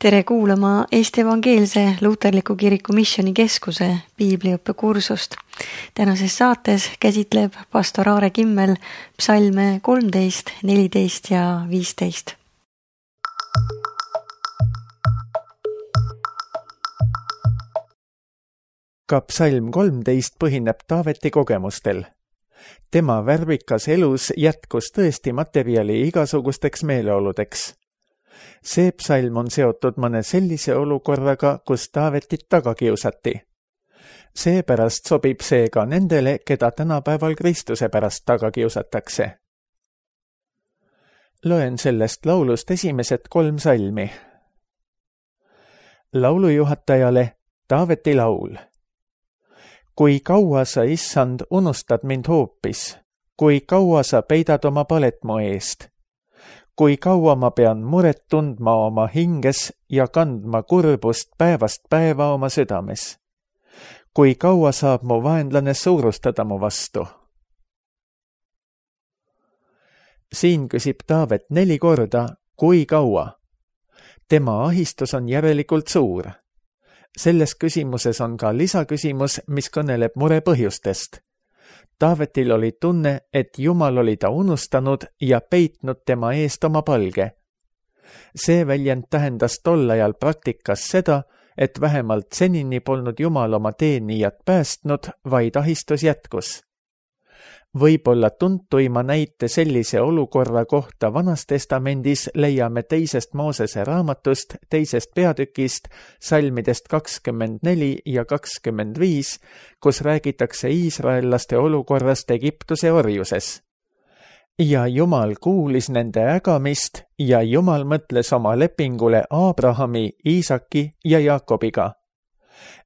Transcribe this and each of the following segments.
Tere kuulama Eesti Evangeelse Luterliku Kiriku Missioni Keskuse piibliõppekursust. Tänases saates käsitleb pastor Aare Kimmel psalme 13, 14 ja 15. Ka psalm 13 põhineb Taaveti kogemustel. Tema värvikas elus jätkus tõesti materjali igasugusteks meeleoludeks. See psalm on seotud mõne sellise olukorraga, kus Taavetit taga kiusati. Seepärast sobib see ka nendele, keda tänapäeval Kristuse pärast taga kiusatakse. Loen sellest laulust esimesed 3 salmi. Laulujuhatajale Taaveti laul. Kui kaua sa, issand, unustad mind hoopis, kui kaua sa peidad oma palet mu eest, kui kaua ma pean muret tundma oma hinges ja kandma kurbust päevast päeva oma südames, kui kaua saab mu vaenlane suurustada mu vastu. Siin küsib Taavet 4 korda, kui kaua. Tema ahistus on järelikult suur. Selles küsimuses on ka lisaküsimus, mis kõneleb mure põhjustest. Taavetil oli tunne, et Jumal oli ta unustanud ja peitnud tema eest oma palge. See väljend tähendas tol ajal praktikas seda, et vähemalt senini polnud Jumal oma teenijat päästnud, vaid ahistus jätkus. Võib-olla tuntuima näite sellise olukorra kohta Vanas Testamendis leiame 2. Moosese raamatust, 2. peatükist, salmidest 24 ja 25, kus räägitakse iisraellaste olukorrast Egiptuse orjuses. Ja Jumal kuulis nende ägamist ja Jumal mõtles oma lepingule Abrahami, Iisaki ja Jaakobiga.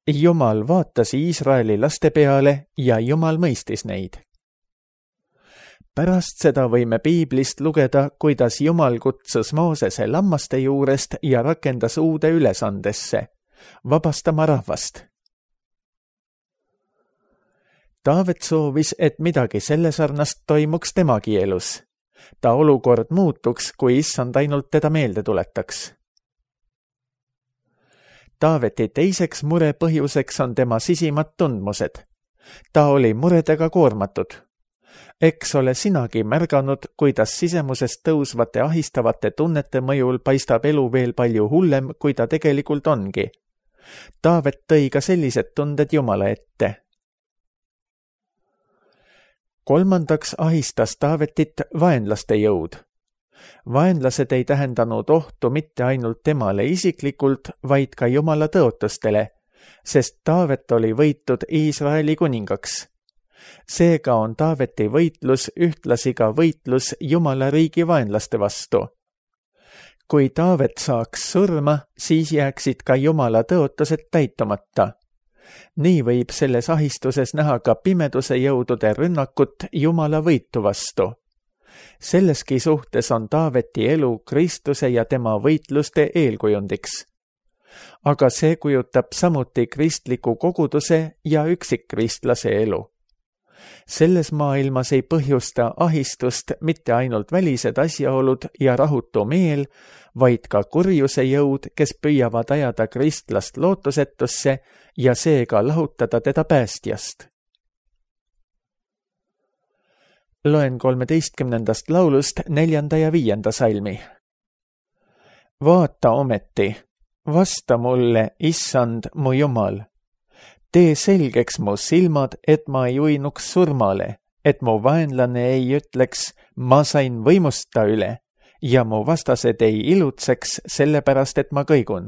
Jumal vaatas Iisraeli laste peale ja Jumal mõistis neid. Pärast seda võime piiblist lugeda, kuidas Jumal kutsus Moosese lammaste juurest ja rakendas uude ülesandesse, vabastama rahvast. Taavet soovis, et midagi selle sarnast toimuks temagi elus. Ta olukord muutuks, kui issand ainult teda meelde tuletaks. Taaveti teiseks mure põhjuseks on tema sisimad tundmused. Ta oli muredega koormatud. Eks ole sinagi märganud, kuidas sisemusest tõusvate ahistavate tunnete mõjul paistab elu veel palju hullem, kui ta tegelikult ongi. Taavet tõi ka sellised tunded Jumala ette. 3. ahistas Taavetit vaenlaste jõud. Vaenlased ei tähendanud ohtu mitte ainult temale isiklikult, vaid ka Jumala tõotustele, sest Taavet oli võitud Iisraeli kuningaks. Seega on Taaveti võitlus ühtlasi ka võitlus Jumala riigi vaenlaste vastu. Kui Taavet saaks surma, siis jääksid ka Jumala tõotused täitumata. Nii võib selles ahistuses näha ka pimeduse jõudude rünnakut Jumala võitu vastu. Selleski suhtes on Taaveti elu Kristuse ja tema võitluste eelkujundiks. Aga see kujutab samuti kristliku koguduse ja üksikkristlase elu. Selles maailmas ei põhjusta ahistust mitte ainult välised asjaolud ja rahutu meel, vaid ka kurjuse jõud, kes püüavad ajada kristlast lootusetusse ja seega lahutada teda päästjast. Loen 13. laulust 4. ja 5. salmi. Vaata ometi, vasta mulle, issand, mu Jumal. Tee selgeks mu silmad, et ma ei uinuks surmale, et mu vaenlane ei ütleks, ma sain võimust ta üle, ja mu vastased ei ilutseks sellepärast, et ma kõigun.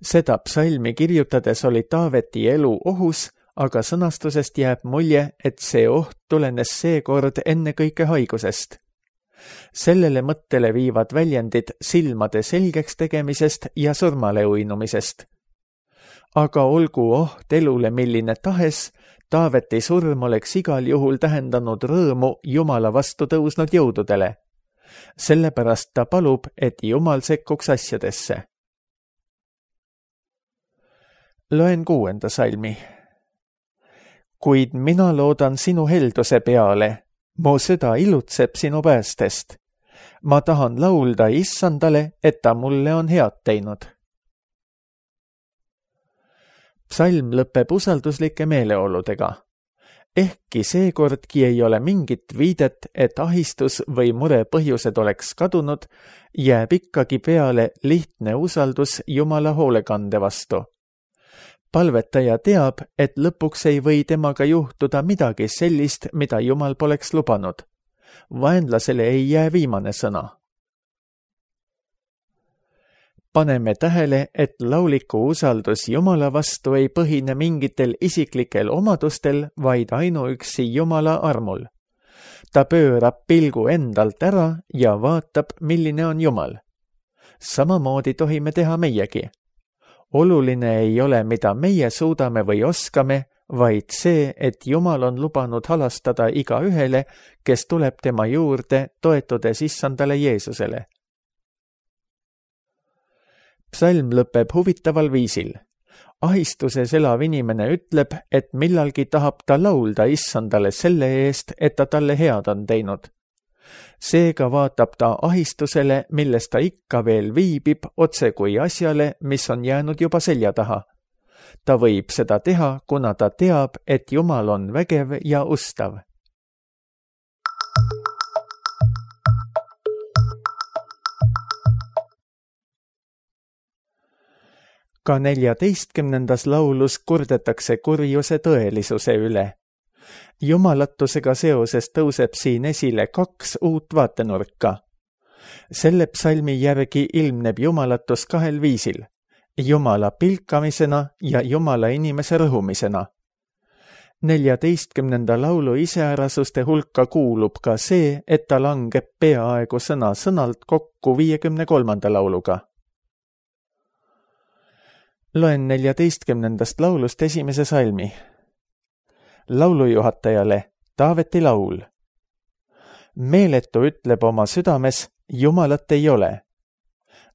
Seda psalmi kirjutades oli Taaveti elu ohus, aga sõnastusest jääb mulje, et see oht tulenes seekord ennekõike haigusest. Sellele mõttele viivad väljendid silmade selgeks tegemisest ja surmale uinumisest. Aga olgu oht elule milline tahes, Taaveti surm oleks igal juhul tähendanud rõõmu Jumala vastu tõusnud jõududele. Sellepärast ta palub, et Jumal sekkuks asjadesse. Loen 6. salmi. Kuid mina loodan sinu helduse peale, mu süda ilutseb sinu päästest. ma tahan laulda Issandale, et ta mulle on head teinud. Psalm lõpeb usalduslike meeleoludega. Ehkki seekordki ei ole mingit viidet, et ahistus või mure põhjused oleks kadunud, jääb ikkagi peale lihtne usaldus Jumala hoolekande vastu. Palvetaja teab, et lõpuks ei või temaga juhtuda midagi sellist, mida Jumal poleks lubanud. Vaenlasele ei jää viimane sõna. Paneme tähele, et lauliku usaldus Jumala vastu ei põhine mingitel isiklikel omadustel, vaid ainuüksi Jumala armul. Ta pöörab pilgu endalt ära ja vaatab, milline on Jumal. Samamoodi tohime teha meiegi. Oluline ei ole, mida meie suudame või oskame, vaid see, et Jumal on lubanud halastada igaühele, kes tuleb tema juurde, toetudes Issandale Jeesusele. Psalm lõpeb huvitaval viisil. Ahistuses elav inimene ütleb, et millalgi tahab ta laulda Issandale selle eest, et ta talle head on teinud. Seega vaatab ta ahistusele, milles ta ikka veel viibib, otse kui asjale, mis on jäänud juba selja taha. Ta võib seda teha, kuna ta teab, et Jumal on vägev ja ustav. Ka 14. laulus kurdetakse kurjuse tõelisuse üle. Jumalatusega seoses tõuseb siin esile 2 uut vaatenurka. Selle psalmi järgi ilmneb jumalatus 2 viisil. Jumala pilkamisena ja Jumala inimese rõhumisena. 14. laulu iseärasuste hulka kuulub ka see, et ta langeb peaaegu sõna-sõnalt kokku 53. lauluga. Loen 14. laulust esimese salmi. Laulujuhatajale Taaveti laul. Meeletu ütleb oma südames, Jumalat ei ole.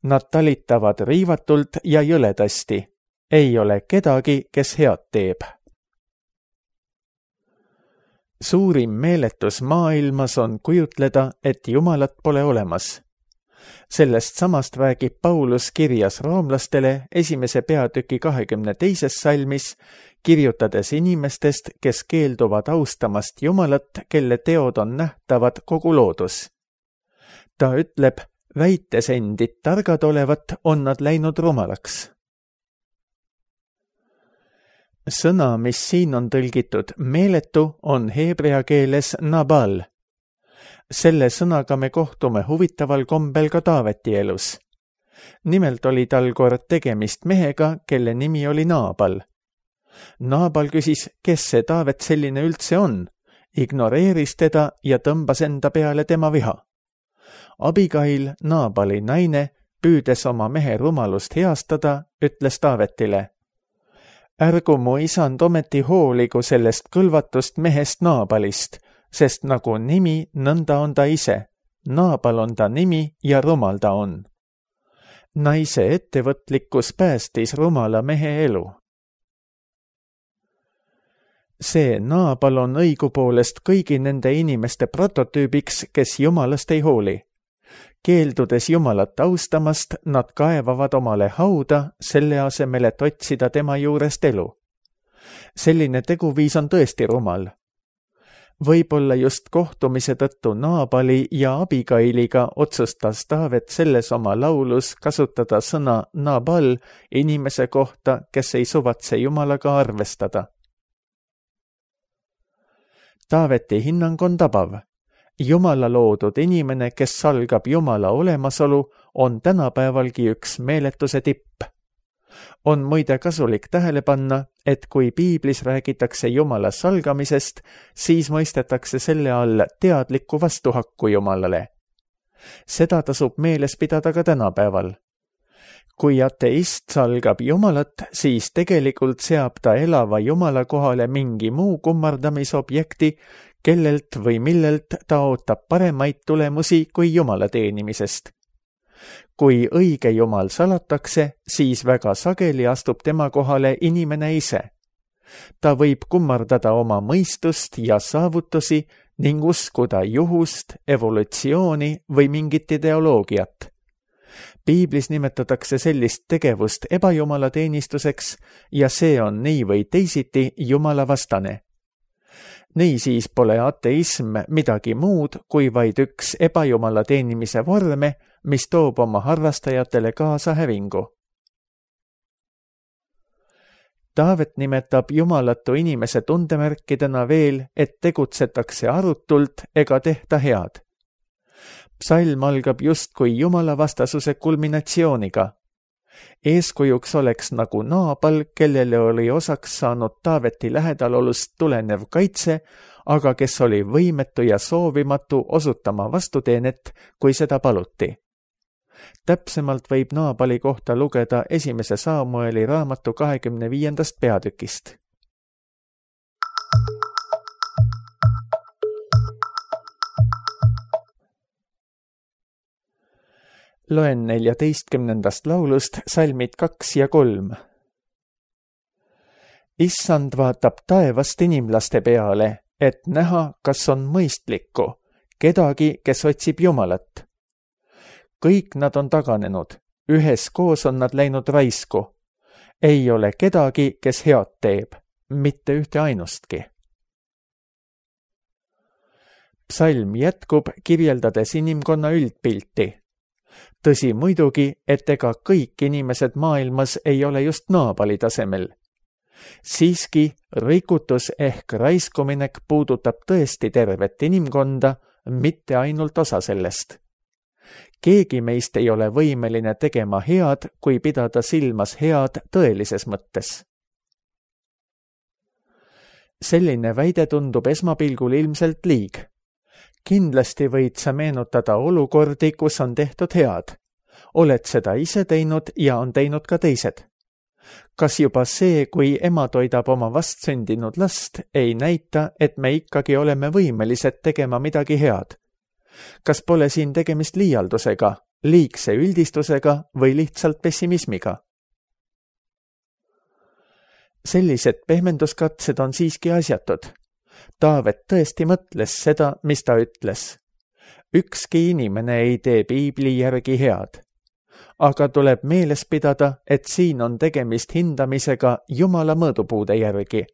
Nad talitavad riivatult ja jõledasti. Ei ole kedagi, kes head teeb. Suurim meeletus maailmas on kujutleda, et Jumalat pole olemas. Sellest samast räägib Paulus kirjas roomlastele 1. peatüki 22. salmis, kirjutades inimestest, kes keelduvad austamast Jumalat, kelle teod on nähtavad kogu loodus. Ta ütleb, väites endid targad olevat, on nad läinud rumalaks. Sõna, mis siin on tõlgitud meeletu, on heebrea keeles nabal. Selle sõnaga me kohtume huvitaval kombel ka Taaveti elus. Nimelt oli tal kord tegemist mehega, kelle nimi oli Naabal. Naabal küsis, kes see Taavet selline üldse on, ignoreeris teda ja tõmbas enda peale tema viha. Abigail, Naabali naine, püüdes oma mehe rumalust heastada, ütles Taavetile, ärgu mu isand ometi hooligu sellest kõlvatust mehest Naabalist, sest nagu nimi, nõnda on ta ise. Naabal on ta nimi ja rumal ta on. Naise ettevõtlikkus päästis rumala mehe elu. See Naabal on õigupoolest kõigi nende inimeste prototüübiks, kes Jumalast ei hooli. Keeldudes Jumalat austamast, nad kaevavad omale hauda, selle asemel, et otsida tema juurest elu. Selline teguviis on tõesti rumal. Võib-olla just kohtumise tõttu Naabali ja Abigailiga otsustas Taavet selles oma laulus kasutada sõna Nabal inimese kohta, kes ei suvatse Jumalaga arvestada. Taaveti hinnang on tabav. Jumala loodud inimene, kes salgab Jumala olemasolu, on tänapäevalgi üks meeletuse tipp. On muide kasulik tähele panna, et kui piiblis räägitakse Jumala salgamisest, siis mõistetakse selle all teadlikku vastuhakku Jumalale. Seda tasub meeles pidada ka tänapäeval. Kui ateist salgab Jumalat, siis tegelikult seab ta elava Jumala kohale mingi muu kummardamisobjekti, kellelt või millelt ta ootab paremaid tulemusi kui Jumala teenimisest. Kui õige Jumal salatakse, siis väga sageli astub tema kohale inimene ise. Ta võib kummardada oma mõistust ja saavutusi ning uskuda juhust, evolutsiooni või mingit ideoloogiat. Piiblis nimetatakse sellist tegevust ebajumalateenistuseks ja see on nii või teisiti jumalavastane. Niisiis pole ateism midagi muud kui vaid üks ebajumala teenimise vorme, mis toob oma harrastajatele kaasa hävingu. Taavet nimetab jumalatu inimese tundemärkidena veel, et tegutsetakse arutult ega tehta head. Psalm algab justkui jumalavastasuse kulminatsiooniga. Eeskujuks oleks nagu Naabal, kellele oli osaks saanud Taaveti lähedalolust tulenev kaitse, aga kes oli võimetu ja soovimatu osutama vastuteenet, kui seda paluti. Täpsemalt võib Naabali kohta lugeda 1. Samueli raamatu 25. peatükist. Loen 14. laulust salmid 2 ja 3. Issand vaatab taevast inimlaste peale, et näha, kas on mõistlikku, kedagi, kes otsib Jumalat. Kõik nad on taganenud, üheskoos on nad läinud raisku. Ei ole kedagi, kes head teeb, mitte ühte ainustki. Psalm jätkub, kirjeldades inimkonna üldpilti. Tõsi muidugi, et ega kõik inimesed maailmas ei ole just Naabali tasemel. Siiski rikutus ehk raiskuminek puudutab tõesti tervet inimkonda, mitte ainult osa sellest. Keegi meist ei ole võimeline tegema head, kui pidada silmas head tõelises mõttes. Selline väide tundub esmapilgul ilmselt liig. Kindlasti võid sa meenutada olukordi, kus on tehtud head. Oled seda ise teinud ja on teinud ka teised. Kas juba see, kui ema toidab oma vastsündinud last, ei näita, et me ikkagi oleme võimelised tegema midagi head? Kas pole siin tegemist liialdusega, liigse üldistusega või lihtsalt pessimismiga? Sellised pehmenduskatsed on siiski asjatud. Taavet tõesti mõtles seda, mis ta ütles. Ükski inimene ei tee piibli järgi head. Aga tuleb meeles pidada, et siin on tegemist hindamisega Jumala mõõdupuude järgi.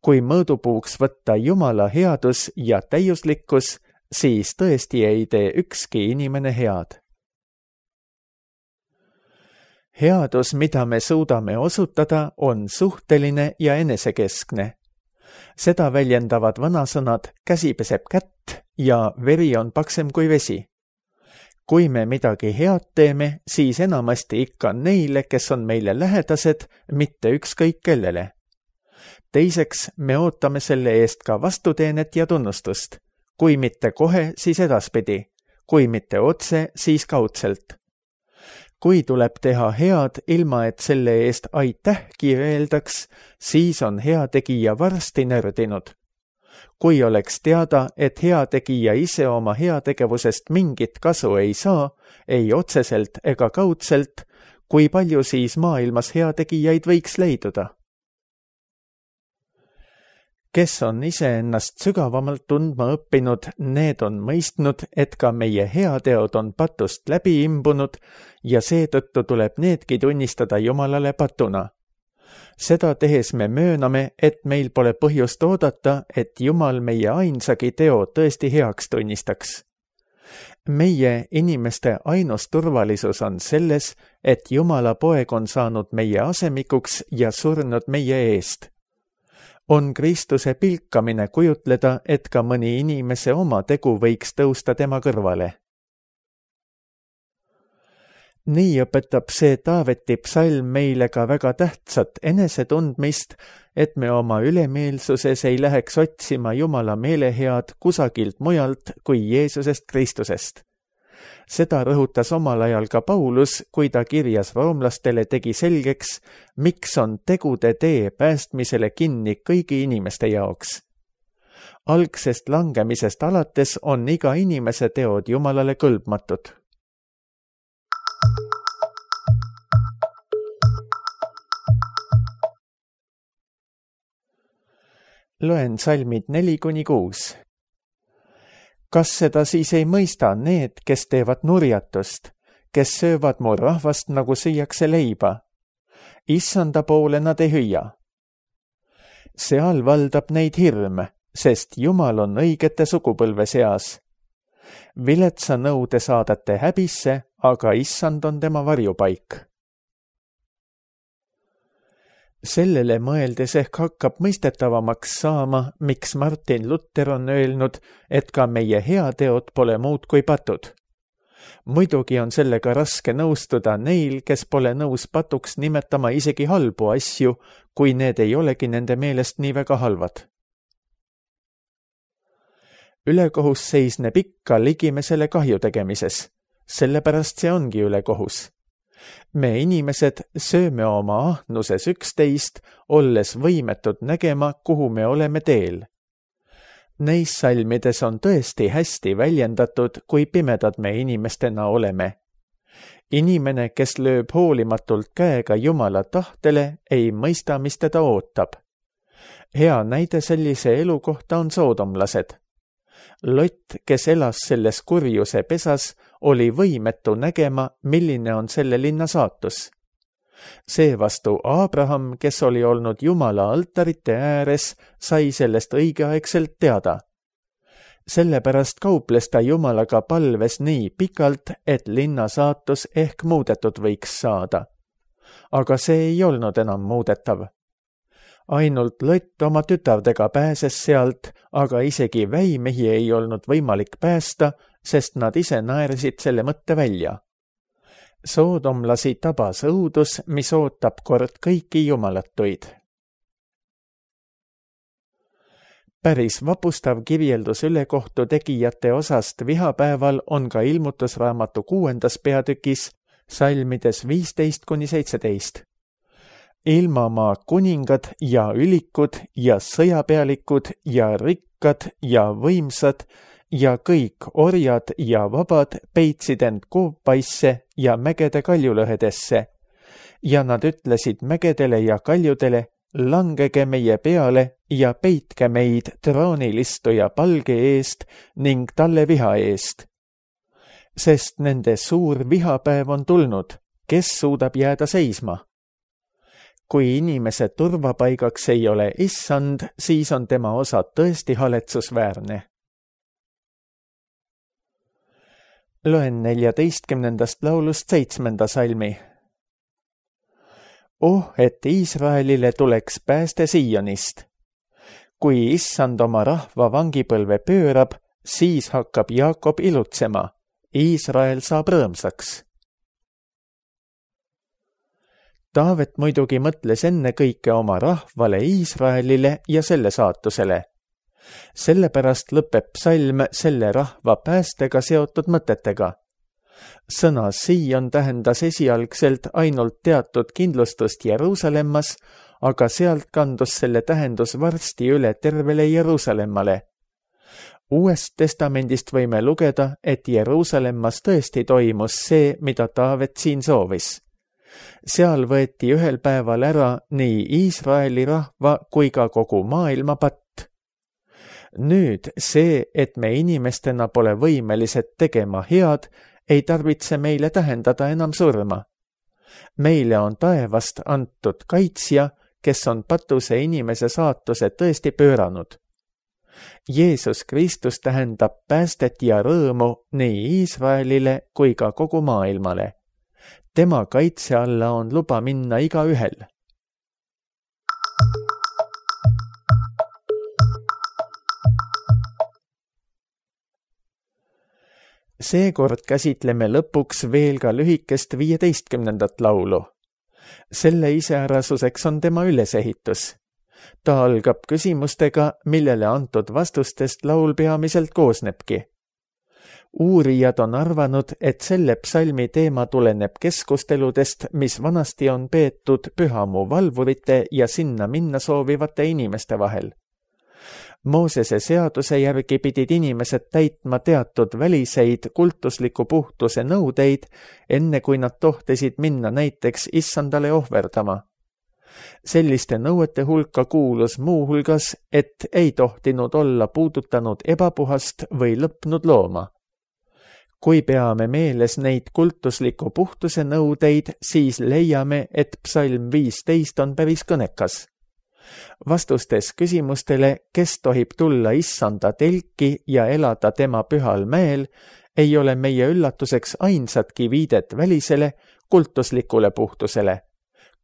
Kui mõõdupuuks võtta Jumala headus ja täiuslikkus, siis tõesti ei tee ükski inimene head. Headus, mida me suudame osutada, on suhteline ja enesekeskne. Seda väljendavad vanasõnad käsi peseb kätt ja veri on paksem kui vesi. Kui me midagi head teeme, siis enamasti ikka neile, kes on meile lähedased, mitte ükskõik kellele. Teiseks, me ootame selle eest ka vastuteenet ja tunnustust. Kui mitte kohe, siis edaspidi. Kui mitte otse, siis kaudselt. Kui tuleb teha head, ilma et selle eest aitähki öeldaks, siis on heategija varsti nördinud. Kui oleks teada, et heategija ise oma heategevusest mingit kasu ei saa, ei otseselt ega kaudselt, kui palju siis maailmas heategijaid võiks leiduda? Kes on iseennast sügavamalt tundma õppinud, need on mõistnud, et ka meie heateod on patust läbi imbunud ja seetõttu tuleb needki tunnistada Jumalale patuna. Seda tehes me mööname, et meil pole põhjust oodata, et Jumal meie ainsagi teo tõesti heaks tunnistaks. Meie inimeste ainus turvalisus on selles, et Jumala poeg on saanud meie asemikuks ja surnud meie eest. On Kristuse pilkamine kujutleda, et ka mõni inimese oma tegu võiks tõusta tema kõrvale. Nii õpetab see Taaveti psalm meile ka väga tähtsat enesetundmist, et me oma ülemeelsuses ei läheks otsima Jumala meelehead kusagilt mujalt kui Jeesusest Kristusest. Seda rõhutas omal ajal ka Paulus, kui ta kirjas roomlastele tegi selgeks, miks on tegude tee päästmisele kinni kõigi inimeste jaoks. Algsest langemisest alates on iga inimese teod Jumalale kõlbmatud. Loen salmid 4-6. kas seda siis ei mõista need, kes teevad nurjatust, kes söövad mu rahvast, nagu süüakse leiba? Issanda poole nad ei hüüa. Seal valdab neid hirm, sest Jumal on õigete sugupõlve seas. Viletsa nõu te saadate häbisse, aga Issand on tema varjupaik. Sellele mõeldes ehk hakkab mõistetavamaks saama, miks Martin Luther on öelnud, et ka meie heateod pole muud kui patud. Muidugi on sellega raske nõustuda neil, kes pole nõus patuks nimetama isegi halbu asju, kui need ei olegi nende meelest nii väga halvad. Ülekohus seisneb ikka ligimesele kahju tegemises, sellepärast see ongi ülekohus. Me inimesed sööme oma ahnuses üksteist, olles võimetud nägema, kuhu me oleme teel. Neis salmides on tõesti hästi väljendatud, kui pimedad me inimestena oleme. Inimene, kes lööb hoolimatult käega Jumala tahtele, ei mõista, mis teda ootab. Hea näide sellise elu kohta on soodomlased. Lot, kes elas selles kurjuse pesas, oli võimetu nägema, milline on selle linna saatus. Seevastu Abraham, kes oli olnud Jumala altarite ääres, sai sellest õigeaegselt teada. Sellepärast kauples ta Jumalaga palves nii pikalt, et linna saatus ehk muudetud võiks saada. Aga see ei olnud enam muudetav. Ainult Lot oma tütardega pääses sealt, aga isegi väimehi ei olnud võimalik päästa, sest nad ise naersid selle mõtte välja. Soodomlasi tabas õudus, mis ootab kord kõiki jumalatuid. Päris vapustav kirjeldus ülekohtu tegijate osast vihapäeval on ka ilmutusraamatu 6. peatükis, salmides 15-17. Ilmamaa kuningad ja ülikud ja sõjapealikud ja rikkad ja võimsad ja kõik orjad ja vabad peitsid end koopaisse ja mägede kaljulõhedesse. Ja nad ütlesid mägedele ja kaljudele, langege meie peale ja peitke meid troonilistuja palge eest ning talle viha eest. Sest nende suur vihapäev on tulnud, kes suudab jääda seisma? Kui inimese turvapaigaks ei ole Issand, siis on tema osa tõesti haletsusväärne. Loen 14. laulust 7. salmi. Et Iisraelile tuleks pääste Siionist. Kui Issand oma rahva vangipõlve pöörab, siis hakkab Jaakob ilutsema. Iisrael saab rõõmsaks. Taavet muidugi mõtles ennekõike oma rahvale Iisraelile ja selle saatusele. Sellepärast lõpeb psalm selle rahva päästega seotud mõtetega. Sõna Sion tähendas esialgselt ainult teatud kindlustust Jeruusalemmas, aga sealt kandus selle tähendus varsti üle tervele Jeruusalemmale. Uuest testamendist võime lugeda, et Jeruusalemmas tõesti toimus see, mida Taavet siin soovis. Seal võeti ühel päeval ära nii Iisraeli rahva kui ka kogu maailma patt. Nüüd see, et me inimestena pole võimelised tegema head, ei tarvitse meile tähendada enam surma. Meile on taevast antud kaitsja, kes on patuse inimese saatuse tõesti pööranud. Jeesus Kristus tähendab päästet ja rõõmu nii Iisraelile kui ka kogu maailmale. Tema kaitse alla on luba minna igaühel. Seekord käsitleme lõpuks veel ka lühikest 15. laulu. Selle iseärasuseks on tema ülesehitus. Ta algab küsimustega, millele antud vastustest laul peamiselt koosnebki. Uurijad on arvanud, et selle psalmi teema tuleneb keskusteludest, mis vanasti on peetud pühamu valvurite ja sinna minna soovivate inimeste vahel. Moosese seaduse järgi pidid inimesed täitma teatud väliseid kultusliku puhtuse nõudeid, enne kui nad tohtisid minna näiteks Issandale ohverdama. Selliste nõuete hulka kuulus muuhulgas, et ei tohtinud olla puudutanud ebapuhast või lõpnud looma. Kui peame meeles neid kultusliku puhtuse nõudeid, siis leiame, et psalm 15 on päris kõnekas. Vastustes küsimustele, kes tohib tulla issanda telki ja elada tema pühal mäel, ei ole meie üllatuseks ainsatki viidet välisele kultuslikule puhtusele.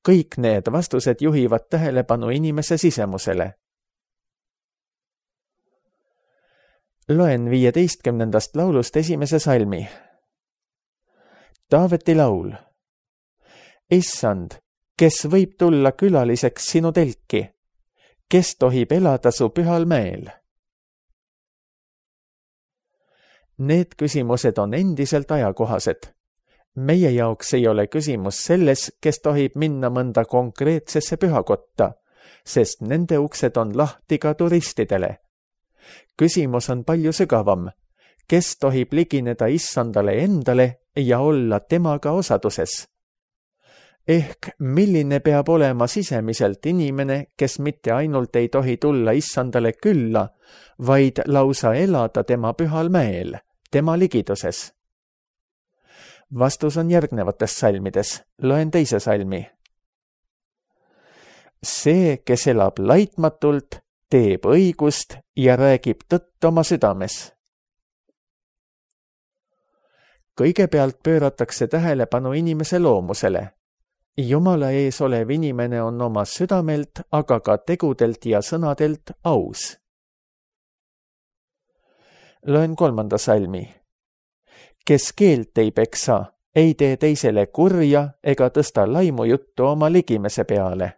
Kõik need vastused juhivad tähelepanu inimese sisemusele. Loen 15. laulust esimese salmi. Taaveti laul. Issand, kes võib tulla külaliseks sinu telki? Kes tohib elada su pühal mäel? Need küsimused on endiselt ajakohased. Meie jaoks ei ole küsimus selles, kes tohib minna mõnda konkreetsesse pühakotta, sest nende uksed on lahti ka turistidele. Küsimus on palju sügavam, kes tohib ligineda issandale endale ja olla temaga osaduses. Ehk milline peab olema sisemiselt inimene, kes mitte ainult ei tohi tulla issandale külla, vaid lausa elada tema pühal mäel, tema ligiduses. Vastus on järgnevates salmides. Loen teise salmi. See, kes elab laitmatult, teeb õigust ja räägib tõtt oma südames. Kõigepealt pööratakse tähelepanu inimese loomusele. Jumala ees olev inimene on oma südamelt, aga ka tegudelt ja sõnadelt aus. Loen 3. salmi. Kes keelt ei peksa, ei tee teisele kurja ega tõsta laimujuttu oma ligimese peale.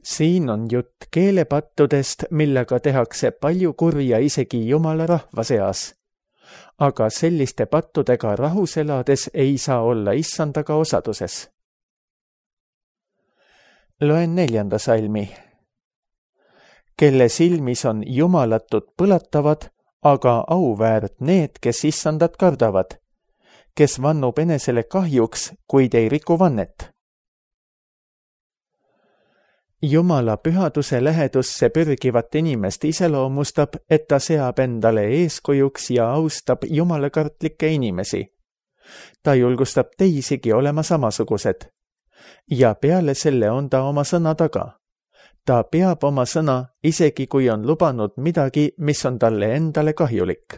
Siin on jutt keelepattudest, millega tehakse palju kurja isegi Jumala rahva seas. Aga selliste pattudega rahus elades ei saa olla issandaga osaduses. Loen 4. salmi. Kelle silmis on jumalatud põlatavad, aga auväärt need, kes issandat kardavad, kes vannub enesele kahjuks, kuid ei riku vannet. Jumala pühaduse lähedusse pürgivat inimest iseloomustab, et ta seab endale eeskujuks ja austab jumalakartlikke inimesi. Ta julgustab teisigi olema samasugused. Ja peale selle on ta oma sõna taga. Ta peab oma sõna, isegi kui on lubanud midagi, mis on talle endale kahjulik.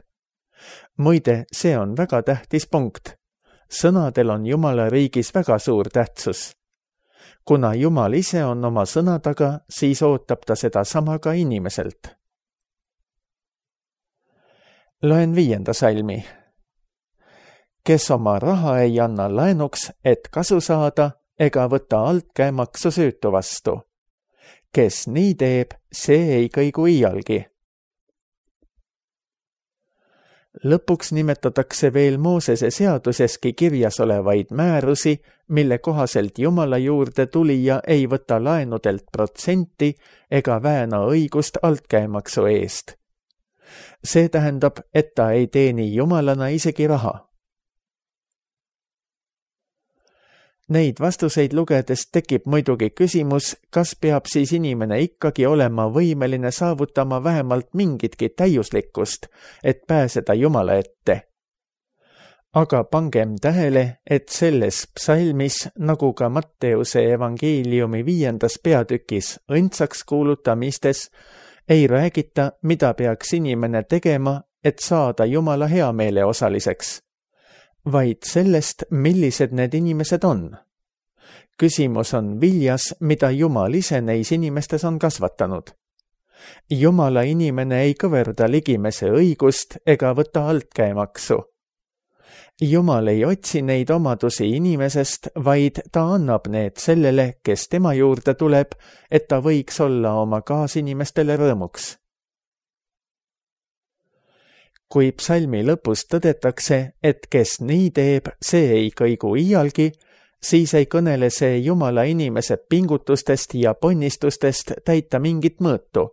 Muide, see on väga tähtis punkt. Sõnadel on Jumala riigis väga suur tähtsus. Kuna Jumal ise on oma sõna taga, siis ootab ta seda sama ka inimeselt. Loen 5. salmi. Kes oma raha ei anna laenuks, et kasu saada, ega võta altkäemaksu süütu vastu. Kes nii teeb, see ei kõigu iialgi. Lõpuks nimetatakse veel Moosese seaduseski kirjas olevaid määrusi, mille kohaselt Jumala juurde tulija ei võta laenudelt protsenti ega vääna õigust altkäemaksu eest. See tähendab, et ta ei teeni Jumalana isegi raha. Neid vastuseid lugedes tekib muidugi küsimus, kas peab siis inimene ikkagi olema võimeline saavutama vähemalt mingitki täiuslikkust, et pääseda Jumala ette. Aga pangem tähele, et selles psalmis, nagu ka Matteuse evangeeliumi 5. peatükis õndsaks kuulutamistes, ei räägita, mida peaks inimene tegema, et saada Jumala heameele osaliseks, vaid sellest, millised need inimesed on. Küsimus on viljas, mida Jumal ise neis inimestes on kasvatanud. Jumala inimene ei kõverda ligimese õigust ega võta altkäemaksu. Jumal ei otsi neid omadusi inimesest, vaid ta annab need sellele, kes tema juurde tuleb, et ta võiks olla oma kaasinimestele rõõmuks. Kui psalmi lõpus tõdetakse, et kes nii teeb, see ei kõigu iialgi, siis ei kõnele see Jumala inimese pingutustest ja ponnistustest täita mingit mõõtu.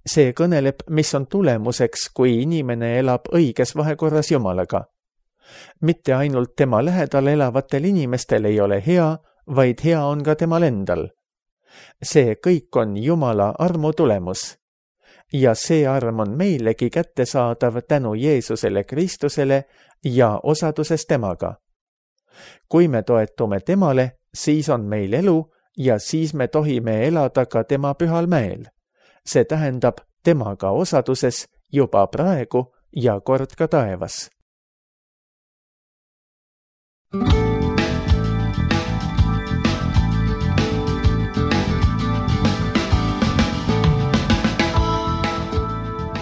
See kõneleb, mis on tulemuseks, kui inimene elab õiges vahekorras Jumalaga. Mitte ainult tema lähedal elavatel inimestel ei ole hea, vaid hea on ka temal endal. See kõik on Jumala armu tulemus. Ja see arm on meilegi kättesaadav tänu Jeesusele Kristusele ja osaduses temaga. Kui me toetume temale, siis on meil elu ja siis me tohime elada ka tema pühal mäel. See tähendab temaga osaduses juba praegu ja kord ka taevas.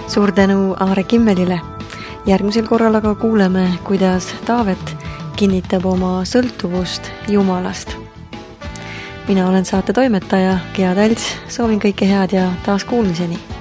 Suur tänu Aare Kimmelile. Järgmisel korral aga kuuleme, kuidas Taavet kinnitab oma sõltuvust Jumalast. Mina olen saate toimetaja Gea Talts, soovin kõike head ja taas kuulmiseni.